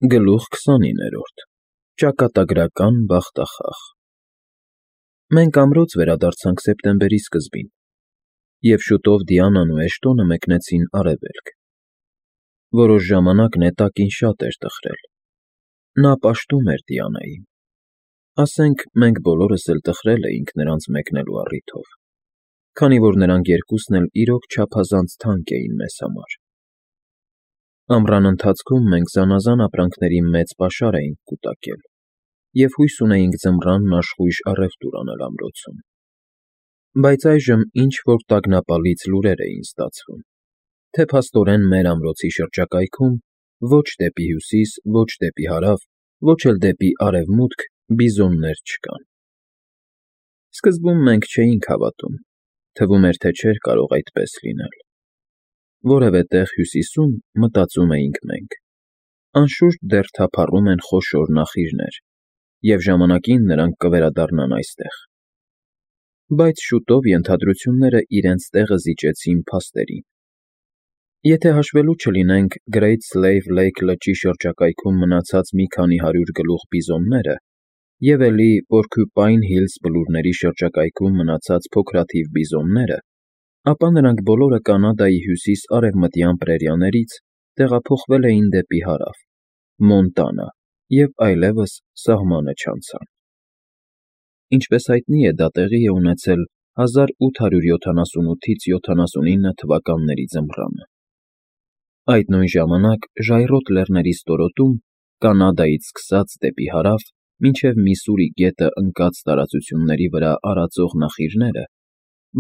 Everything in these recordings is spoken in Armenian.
Գլուխ 29-րդ Ճակատագրական բախտախաղ Մենք ամրոց վերադարձանք սեպտեմբերի սկզբին, և շուտով Դիանան ու Էշտոնը մեկնեցին Արևելք։ Որոշ ժամանակ նետակին շատ էր տխրել։ Նա պաշտում էր Դիանային։ Ասենք, մենք բոլորս էլ տխրել էինք նրանց մեկնելու առիթով, քանի որ նրանք երկուսն էլ իրոք չափազանց թանկ էին մեզ համար։ Ամռան ընթացքում մենք զանազան ապրանքների մեծ պաշար էինք կուտակել և հույս ունեինք ձմռանն աշխույժ առևտուր անել ամրոցում։ Բայց այժմ ինչ-որ տագնապալից լուրեր էին ստացվում, թե փաստորեն մեր ամրոցի շրջակայքում ոչ դեպի հյուսիս, ոչ դեպի հարավ, ոչ էլ դեպի արևմուտք բիզոններ չկան։ Սկզբում մենք չէինք հավատում, թվում էր, թե չէր կարող այդպես լինել։ Որևէ տեղ հյուսիսում, մտածում էինք մենք, անշուշտ դեռ թափառում են խոշոր նախիրներ, և ժամանակին նրանք կվերադառնան այստեղ։ Բայց շուտով ենթադրությունները իրենց տեղը զիջեցին փաստերին։ Եթե հաշվելու չլինենք Great Slave Lake լճի շրջակայքում մնացած մի քանի հարյուր գլուխ բիզոնները և էլի Porcupine Hills բլուրների շրջակայքում մնացած փոքրաթիվ բիզոնները, ապա նրանք բոլորը Կանադայի հյուսիս֊արևմտյան պրերիաներից տեղափոխվել էին դեպի հարավ, Մոնտանա և այլևս սահմանը չանցան։ Ինչպես հայտնի է, դա տեղի է ունեցել 1878-79 թվականների ձմռանը։ Այդ նույն ժամանակ ժայռոտ լեռների ստորոտում, Կանադայից սկսած դեպի հարավ, մինչև Միսսուրի գետը ընկած տարածությունների վրա արածող նախիրները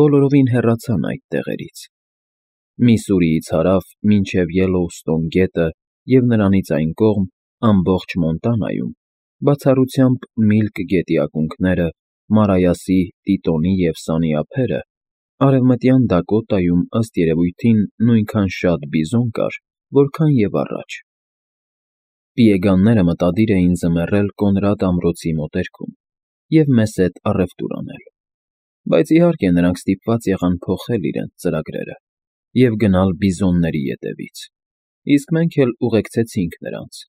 բոլորովին հեռացան այդ տեղերից։ Միսսուրիից հարավ մինչև Յելլոուստոն գետը և նրանից այն կողմ ամբողջ Մոնտանայում, բացառությամբ Միլք գետի ակունքները, Մարայասի, Տիտոնի և Սանի ափերը, արևմտյան Դակոտայում, ըստ երևույթին, նույնքան շատ բիզոն կար, որքան և առաջ։ Պիեգանները մտադիր էին ձմեռել Կոնրադ ամրոցի մոտերքում և մեզ հետ առևտուր անել, բայց իհարկե նրանք ստիպված եղան փոխել իրենց ծրագրերը և գնալ բիզոնների ետևից, իսկ մենք էլ ուղեկցեցինք նրանց,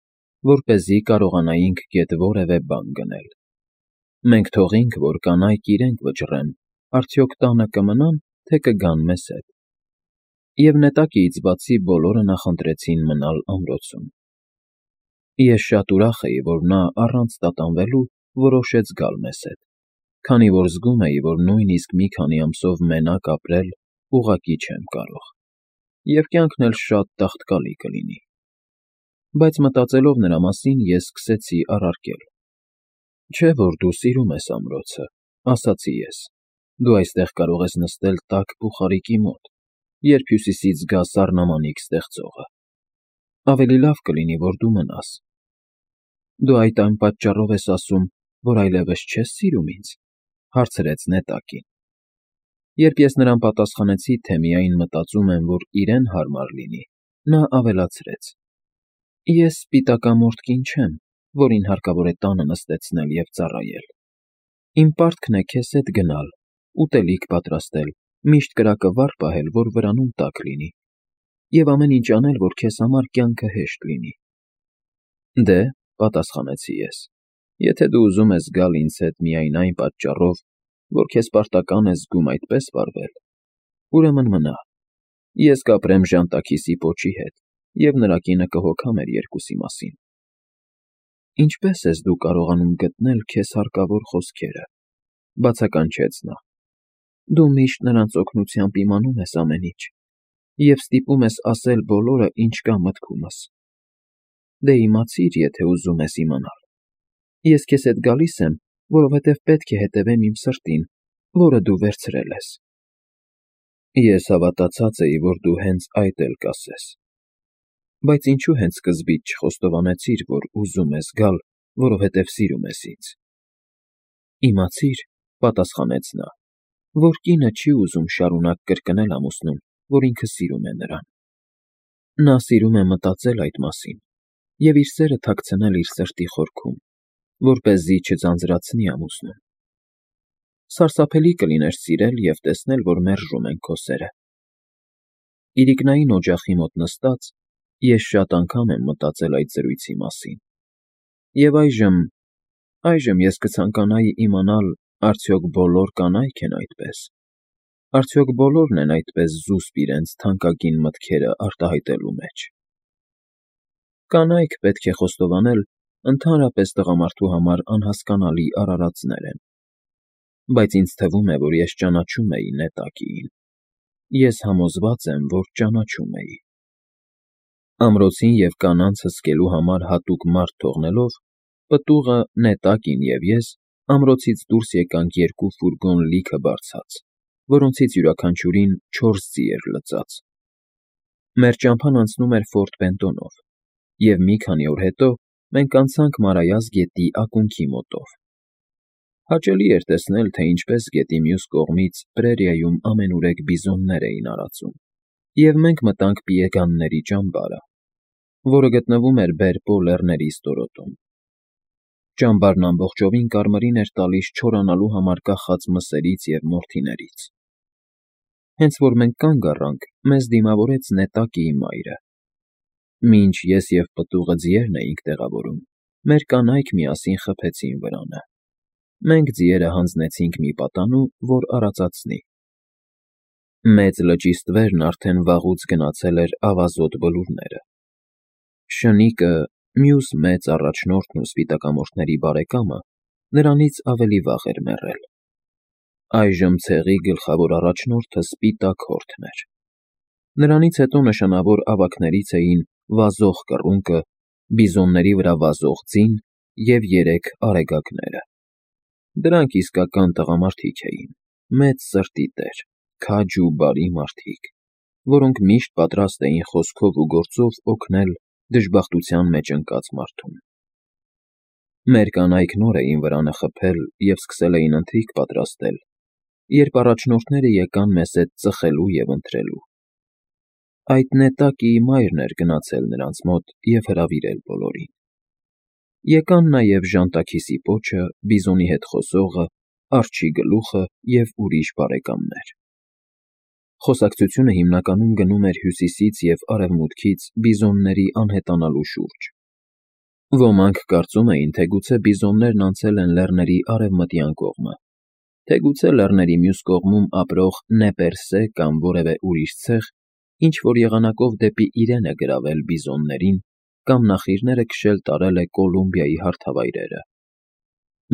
որպեսզի կարողանայինք գետ որևէ բան գնել։ Մենք թողինք, որ կանայք իրենք վճռեն, արդյոք տանը կմնան, թե կգան մեզ հետ։ Եվ նետակից բացի բոլորը նախընտրեցին մնալ ամրոցում։ Ես շատ ուրախ էի, որ նա առանց տատանվելու որոշեց գալ մեզ հետ, քանի որ զգում էի, որ նույնիսկ մի քանի ամսով մենակ ապրել ուղղակի չեմ կարող, և կյանքն էլ շատ տաղտկալի կլինի։ Բայց մտածելով նրա մասին, ես սկսեցի առարկել. «Չէ՞ որ դու սիրում ես ամրոցը», ասացի ես, «դու այստեղ կարող ես նստել տաք բուխարիկի մոտ, երբ հյուսիսից գա սառնամանիք ստեղծողը։ Ավելի լավ կլինի, որ դու մնաս»։ Դու այն պատճառով ես ասում, որ այլևս չես սիրում ինձ, հարցրեց նետակին։ Երբ ես նրան պատասխանեցի, թե միայն մտածում եմ, որ իրեն հարմար լինի, նա ավելացրեց. «Ես սպիտակամորթ կին չեմ, որին հարկավոր է տանը նստեցնել և ծառայել։ Իմ պարտքն է քեզ հետ գնալ, ուտելիք պատրաստել, միշտ կրակը վառ պահել, որ վրանում տաք լինի, և ամեն ինչ անել, որ քեզ համար կյանքը հեշտ լինի»։ «Դե», պատասխանեցի ես, «եթե դու ուզում ես գալ ինձ հետ միայն այն պատճառով, որ քեզ պարտական ես զգում այդպես վարվել, ուրեմն մնա։ Ես կապրեմ ժանտաքիսի պոչի հետ, և նրա կինը կհոգա մեր երկուսի մասին»։ «Ինչպե՞ս ես դու կարողանում գտնել քեզ հարկավոր խոսքերը», բացականչեց նա։ «Դու միշտ նրանց օգնությամբ իմանում ես ամեն ինչ և ստիպում ես ասել բոլորը, ինչ կա մտքումս։ Դե իմացիր, եթե ուզում ես իմանալ։ Ես քեզ հետ գալիս եմ, որովհետև պետք է հետևեմ իմ սրտին, որը դու վերցրել ես»։ Ես հավատացած էի, որ դու հենց այդ էլ կասես։ Բայց ինչու հենց սկզբից չխոստովանեցիր, որ ուզում ես գալ, որովհետև սիրում ես ինձ։ «Իմացիր», պատասխանեց նա, «որ կինը չի ուզում շարունակ կրկնել ամուսնուն, որ ինքը սիրում է նրան։ Նա սիրում է մտածել այդ մասին և իր սերը թաքցնել իր սրտի խորքում, որպեսզի չձանձրացնի ամուսնուն։ Սարսափելի կլիներ սիրել և տեսնել, որ մերժում են քո սերը։ Իրիկնային օջախի մոտ նստած, Ես շատ անգամ եմ մտածել այդ զրույցի մասին։ Եվ այժմ ես կցանկանայի իմանալ, արդյոք բոլոր կանայք են այդպես։ Արդյոք բոլորն են այդպես զուսպ իրենց թանկագին մտքերը արտահայտելու մեջ։ Կանայք, պետք է խոստովանել, ընդհանրապես տղամարդու համար անհասկանալի արարածներ են։ Բայց ինձ թվում է, որ ես ճանաչում էի Նետակիին։ Ես համոզված եմ, որ ճանաչում էի։ Ամրոցին և կանանց հսկելու համար հատուկ մարդ թողնելով, պտուղը, Նետակին և ես ամրոցից դուրս եկանք երկու ֆուրգոն լիքը բարձած, որոնցից յուրաքանչյուրին 4 ձի էր լծած։ Մեր ճամփան անցնում էր Ֆորտ Բենտոնով, և մի քանի օր հետո մենք անցանք Մարայას գետի ակունքի մոտով։ Հաճելի էր տեսնել, թե ինչպես գետի մյուս կողմից պրերիայում ամենուրեք բիզոններ էին արածում, և մենք մտանք Պիեգանների ճամբարը, որը գտնվում էր Բերպո լեռների ստորոտում։ Ճամբարն ամբողջովին կարմիրին էր տալիս չորանալու համար կախած մսերից և մորթիներից։ Հենց որ մենք կանգ առանք, մեզ դիմավորեց Նետակիի մայրը։ Մինչ ես և պտուղը ձիերն էինք տեղավորում, մեր կանայք միասին խփեցին վրանը։ Մենք ձիերը հանձնեցինք մի պատանու, որ արածացնի։ Մեծ լճի ստվերն արդեն վաղուց գնացել էր ավազոտ բլուրները։ Շնիկը, մյուս մեծ առաջնորդն ու սպիտակամորթների բարեկամը, նրանից ավելի վաղ էր մեռել։ Այժմ ցեղի գլխավոր առաջնորդը Սպիտակ Հորթն էր։ Նրանից հետո նշանավոր ավագներից էին վազող կռունկը, բիզոնների վրա վազող ձին և 3 արեգակները։ Դրանք իսկական տղամարդիկ էին, մեծ սրտի տեր, քաջ ու բարի մարդիկ, որոնք միշտ պատրաստ էին խոսքով ու գործով օգնել դժբախտության մեջ ընկած մարդուն։ Մեր կանայք նոր էին վրանը խփել և սկսել էին ընթրիք պատրաստել, երբ առաջնորդները եկան մեզ հետ ծխելու և ընթրելու։ Այդ Նետակիի մայրն էր գնացել նրանց մոտ և հրավիրել բոլորին։ Եկան նաև Ժանտաքիսի պոչը, Բիզոնի հետ խոսողը, Արջի գլուխը և ուրիշ բարեկամներ։ Խոսակցությունը հիմնականում գնում էր հյուսիսից և արևմուտքից բիզոնների անհետանալու շուրջ։ Ոմանք կարծում էին, թե գուցե բիզոններն անցել են լեռների արևմտյան կողմը, թե գուցե լեռների մյուս կողմում ապրող Նեպերսե կամ որևէ ուրիշ ցեղ ինչ-որ եղանակով դեպի իրեն է գրավել բիզոններին կամ նախիրները քշել տարել է Կոլումբիայի հարթավայրերը։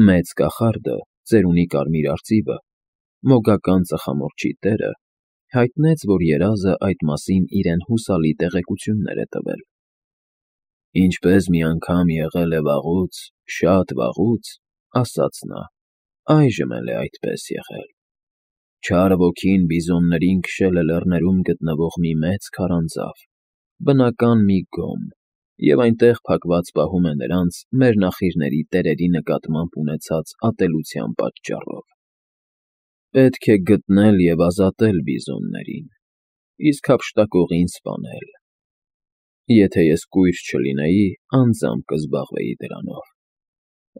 Մեծ կախարդը, ծերունի կարմիր արծիվը, մոգական ծխամորճի տերը, հայտնեց, որ երազը այդ մասին իրեն հուսալի տեղեկություններ է տվել։ «Ինչպես մի անգամ եղել է վաղուց, շատ վաղուց,» ասաց նա, «այժմ էլ է այդպես եղել։ Չար ոգին բիզոններին քշել է լեռներում գտնվող մի մեծ քարանձավ, բնական մի գոմ, և այնտեղ փակված պահում է նրանց մեր նախիրների տերերի նկատմամբ ունեցած ատելության պատճառով։ Պետք է գտնել և ազատել բիզոններին, իսկ հափշտակողին սպանել։ Եթե ես կույր չլինեի, անձամբ կզբաղվեի դրանով։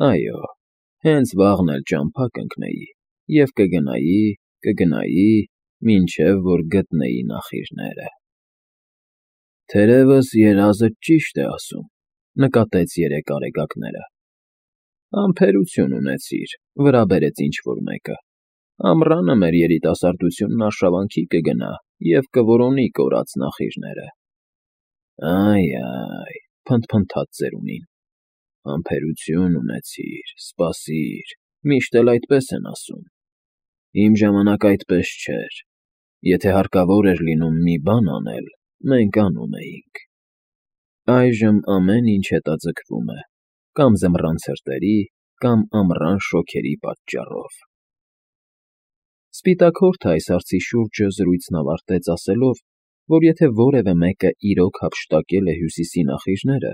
Այո, հենց վաղն էլ ճամփա կընկնեի և կգնայի, մինչև որ գտնեի նախիրները»։ «Թերևս երազդ ճիշտ է ասում,» նկատեց 3 արեգակները։ «Համբերություն ունեցիր,» վրա բերեց ինչ֊որ մեկը։ «Ամռանը մեր երիտասարդությունն արշավանքի կգնա և կորոնի կորած նախիրները»։ «Այ,» փնթփնթաց ծերունին, «համբերություն ունեցիր, սպասիր, միշտ էլ այդպես են ասում։ Իմ ժամանակ այդպես չէր։ Եթե հարկավոր էր լինում մի բան անել, մենք անում էինք։ Այժմ ամեն ինչ հետաձգվում է կամ ձմռան ցրտերի, կամ ամռան շոգերի պատճառով»։ Սպիտակ Հորթը այս հարցի շուրջը զրույցն ավարտեց ասելով, որ եթե որևէ մեկը իրոք հափշտակել է Հյուսիսի նախիրները,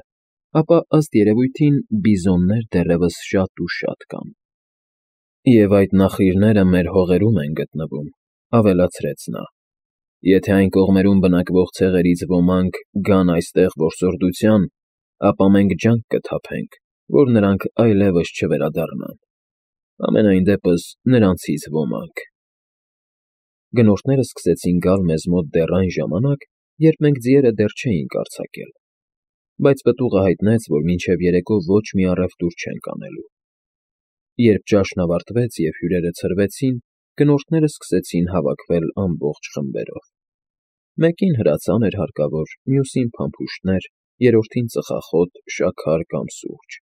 ապա ըստ երևույթին բիզոններ դեռևս շատ ու շատ կան։ «Եվ այդ նախիրները մեր հողերում են գտնվում,» ավելացրեց նա։ «Եթե այն կողմերում բնակվող ցեղերից ոմանք գան այստեղ որսորդության, ապա մենք ջանք կթափենք, որ նրանք այլևս չվերադառնան։ Համենայն դեպս նրանցից ոմանք»։ Գնորդները սկսեցին գալ մեզ մոտ դեռ այն ժամանակ, երբ մենք ձիերը դեռ չէինք արձակել։ բայց պտուղը հայտնեց, որ մինչև երեկո ոչ մի առևտուր չենք անելու։ Երբ ճաշն ավարտվեց և հյուրերը ցրվեցին, գնորդները սկսեցին հավաքվել ամբողջ խմբերով։ Մեկին հրացան էր հարկավոր, մյուսին փամփուշտներ, երրորդին ծխախոտ, շաքար կամ սուրճ,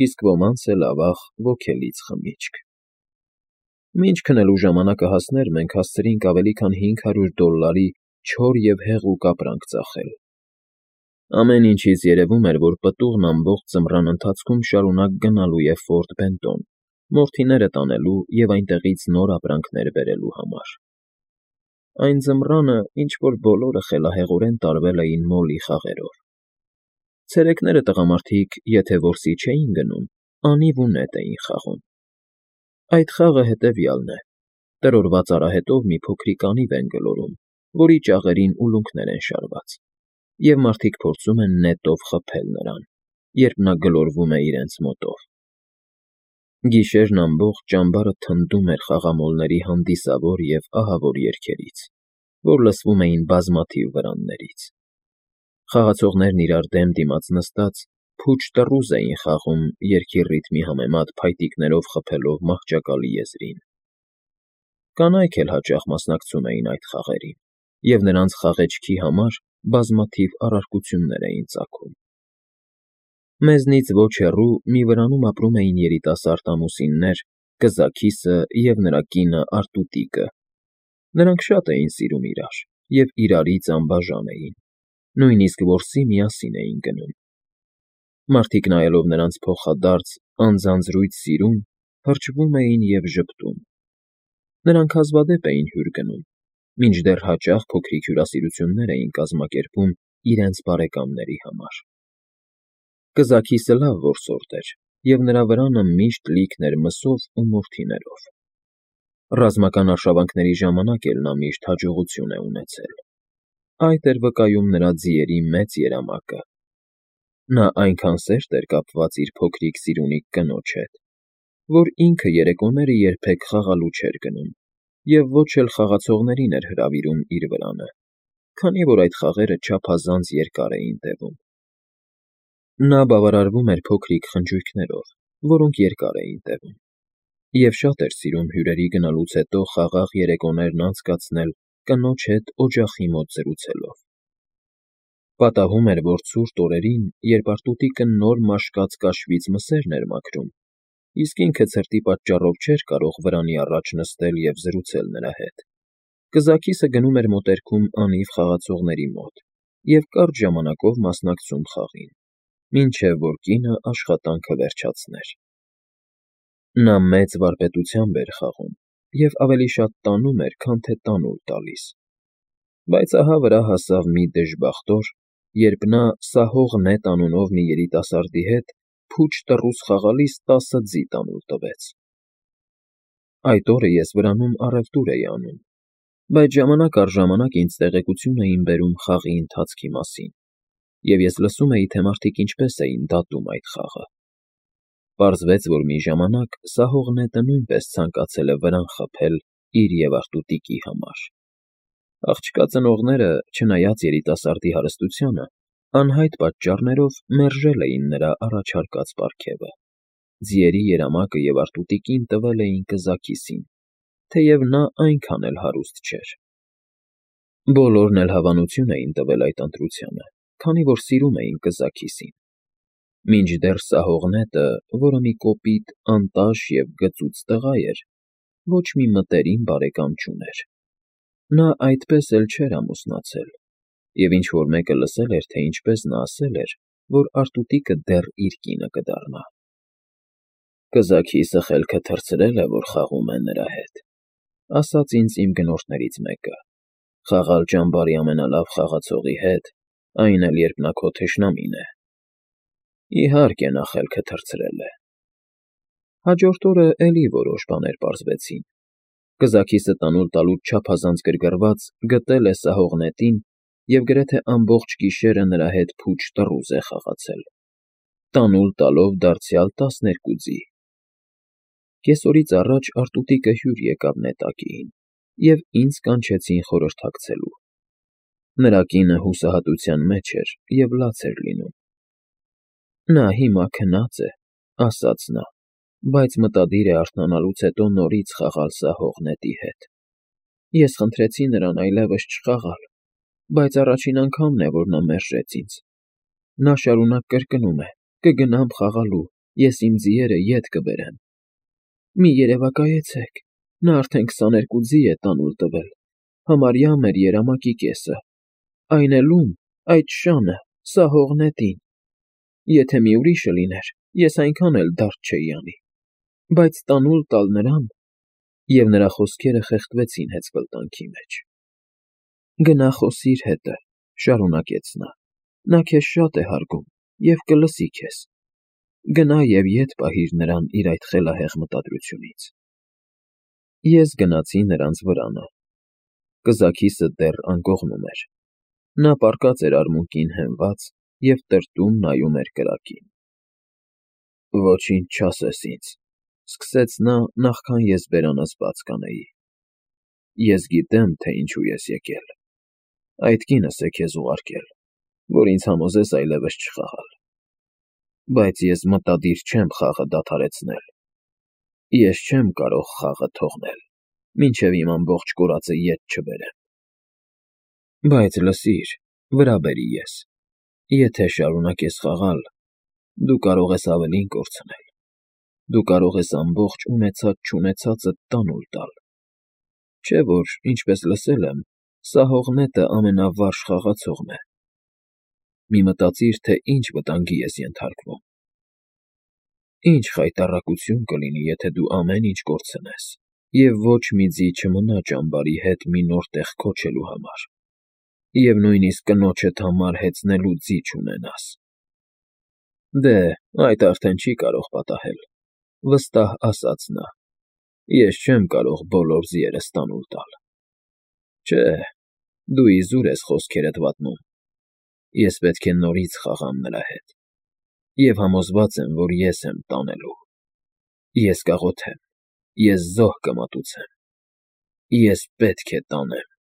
իսկ ոմանց էլ ավաղ ոգելից խմիչք։ Մինչ քնելու ժամանակը հասներ, մենք հասցրինք ավելի քան $500 չոր և հեղուկ ապրանք ծախել։ Ամեն ինչից երևում էր, որ պտուղն ամբողջ ձմռան ընթացքում շարունակ գնալու է Ֆորտ Բենտոն, մորթիները տանելու և այնտեղից նոր ապրանքներ բերելու համար։ Այն ձմռանը ինչ-որ բոլորը խելահեղորեն տարվել էին մոլի խաղերով։ Ցերեկները տղամարդիկ, եթե որսի չէին գնում, անիվ ու նետ էին խաղում։ Այդ խաղը հետևյալն է. տրորված արահետով մի փոքրիկ անիվ են գլորում, որի ճաղերին ուլունքներ են շարված, և մարդիկ փորձում են նետով խփել նրան, երբ նա գլորվում է իրենց մոտով։ Գիշերն ամբողջ ճամբարը թնդում էր խաղամոլների հանդիսավոր և ահավոր երգերից, որ լսվում էին բազմաթիվ վրաններից։ Խաղացողներն իրար դեմ դիմաց նստած փուչ տռուզ էին խաղում երգի ռիթմի համեմատ փայտիկներով խփելով մահճակալի եզրին։ Կանայք էլ հաճախ մասնակցում էին այդ խաղերին, և նրանց խաղեչքի համար բազմաթիվ առարկություններ էին ծագում։ Մեզնից ոչ հեռու մի վրանում ապրում էին երիտասարդ ամուսիններ՝ կզաքիսը և նրա կինը Արտուտիկը։ Նրանք շատ էին սիրում իրար և իրարից անբաժան էին, նույնիսկ որսի միասին էին գնում։ Մարդիկ նայելով նրանց փոխադարձ, անձանձրույթ սիրուն, հրճվում էին և ժպտում։ Նրանք հազվադեպ էին հյուր գնում, մինչդեռ հաճախ փոքրիկ հյուրասիրություններ էին կազմակերպում իրենց բարեկամների համար։ Կզաքիսը լավ որսորդ էր, և նրա վրանը միշտ լիքն էր մսով ու մորթիներով։ Ռազմական արշավանքների ժամանակ էլ նա միշտ հաջողություն է ունեցել։ Այդ էր վկայում նրա ձիերի մեծ երամակը։ Նա այնքան սերտ էր կապված իր փոքրիկ սիրունիկ կնոջ հետ, որ ինքը երեկոները երբեք խաղալու չէր գնում և ոչ էլ խաղացողներին էր հրավիրում իր վրանը, քանի որ այդ խաղերը չափազանց երկար էին տևում։ Նա բավարարվում էր փոքրիկ խնջույքներով, որոնք երկար էին տևում, և շատ էր սիրում հյուրերի գնալուց հետո խաղաղ երեկոներն անցկացնել կնոջ հետ օջախի մոտ զրուցելով։ Պատահում էր, որ ցուրտ օրերին, երբ Արտուտիկը նոր մաշկած կաշվից մսերն էր մաքրում, իսկ ինքը ցրտի պատճառով չէր կարող վրանի առաջ նստել և զրուցել նրա հետ, կզաքիսը գնում էր մոտերքում անիվ խաղացողների մոտ և կարճ ժամանակով մասնակցում խաղին, մինչև որ կինը աշխատանքը վերջացներ։ Նա մեծ վարպետությամբ էր խաղում և ավելի շատ տանում էր, քան թե տանուլ տալիս։ Բայց ահա վրա հասավ մի դժբախտ օր, երբ նա Սահող Նետ անունով մի երիտասարդի հետ փուչ տռուզ խաղալիս 10 ձի տանուլ տվեց։ Այդ օրը ես վրանում առևտուր էի անում, բայց ժամանակ առ ժամանակ ինձ տեղեկություն էին բերում խաղի ընթացքի մասին, և ես լսում էի, թե մարդիկ ինչպես էին դատում այդ խաղը։ Պարզվեց, որ մի ժամանակ Սահող Նետը նույնպես ցանկացել է վրան խփել իր և Արտուտիկի համար։ Աղջկա ծնողները, չնայած երիտասարդի հարստությանը, անհայտ պատճառներով մերժել էին նրա առաջարկած պարգևը։ Ձիերի երամակը և Արտուտիկին տվել էին կզաքիսին, թեև նա այնքան էլ հարուստ չէր։ Բոլորն էլ հավանություն էին տվել այդ ընտրությանը, քանի որ սիրում էին կզաքիսին։ Մինչդեռ Սահող Նետը, որը մի կոպիտ, անտաշ և գծուծ տղա էր, ոչ մի մտերիմ բարեկամ չուներ։ Նա այդպես էլ չէր ամուսնացել, և ինչ֊որ մեկը լսել էր, թե ինչպես նա ասել էր, որ Արտուտիկը դեռ իր կինը կդառնա։ «Կզաքիսը խելքը թռցրել է, որ խաղում է նրա հետ», ասաց ինձ իմ գնորդներից մեկը։ «Խաղալ ճամբարի ամենալավ խաղացողի հետ, այն էլ երբ նա քո թշնամին է»։ Իհարկե, նա խելքը թռցրել է։ Հաջորդ օրը էլի որոշ բաներ պարզվեցին։ Կզաքիսը տանուլ տալուց չափազանց գրգռված գտել է Սահող Նետին և գրեթե ամբողջ գիշերը նրա հետ փուչ տռուզ է խաղացել, տանուլ տալով դարձյալ 12 ձի։ Կեսօրից առաջ Արտուտիկը հյուր եկավ նետակիին, և ինձ կանչեցին խորհրդակցելու։ Նրա կինը հուսահատության մեջ էր և լաց էր լինում, Նա հիմա քնած է, ասաց նա, բայց մտադիր է արթնանալուց հետո նորից խաղալ սահող նետի հետ։ Ես խնդրեցի նրան այլևս չխաղալ, բայց առաջին անգամն է, որ նա մերժեց ինձ։ Նա շարունակ կրկնում է. «Կգնամ խաղալու, ես իմ ձիերը ետ կբերեմ»։ Մի երևակայեցեք, նա արդեն 22 ձի է տանուլ տվել, համարյա մեր երամակի կեսը, այն էլ ում, այդ շանը, սահող նետին։ Եթե մի ուրիշը լիներ, ես այնքան էլ դարդ չէի անի, բայց տանուլ տալ նրան… Եվ նրա խոսքերը խեղդվեցին հեծկլտանքի մեջ։ «Գնա խոսիր հետը», շարունակեց նա, «նա քեզ շատ է հարգում և կլսի քեզ։ Գնա և ետ պահիր նրան իր այդ խելահեղ մտադրությունից»։ Ես գնացի նրանց վրանը։ Կզաքիսը դեռ անկողնում էր։ Նա պառկած էր արմունկին հենված և տրտում նայում էր կրակին։ «Ոչինչ չասես ինձ», սկսեց նա, նախքան ես բերանս բաց կանեի։ «Ես գիտեմ, թե ինչու ես եկել։ Այդ կինս է քեզ ուղարկել, որ ինձ համոզես այլևս չխաղալ։ Բայց ես մտադիր չեմ խաղը դադարեցնել։ Ես չեմ կարող խաղը թողնել, մինչև իմ ամբողջ կորածը ետ չբերեմ։ Բայց լսիր, վրա բերի ես, եթե շարունակես խաղալ, դու կարող ես ավելին կորցնել։ Դու կարող ես ամբողջ ունեցած-չունեցածդ տանուլ տալ։ Չէ՞ որ, ինչպես լսել եմ, սահող նետը ամենավարժ խաղացողն է։ Մի մտածիր, թե ինչ վտանգի ես ենթարկվում։ Ինչ խայտառակություն կլինի, եթե դու ամեն ինչ կորցնես, և ոչ մի ձի չմնա ճամբարի հետ մի նոր տեղ քոչելու համար, և նույնիսկ կնոջդ համար հեծնելու ձի չունենաս։ Դե, այդ արդեն չի կարող պատահել, վստահ ասաց նա։ Ես չեմ կարող բոլոր ձիերս տանուլ տալ։ Չէ, դու իզուր ես խոսքերդ վատնում։ Ես պետք է նորից խաղամ նրա հետ, և համոզված եմ, որ ես եմ տանելու։ Ես կաղոթեմ, ես զոհ կմատուցեմ։ Ես պետք է տանեմ։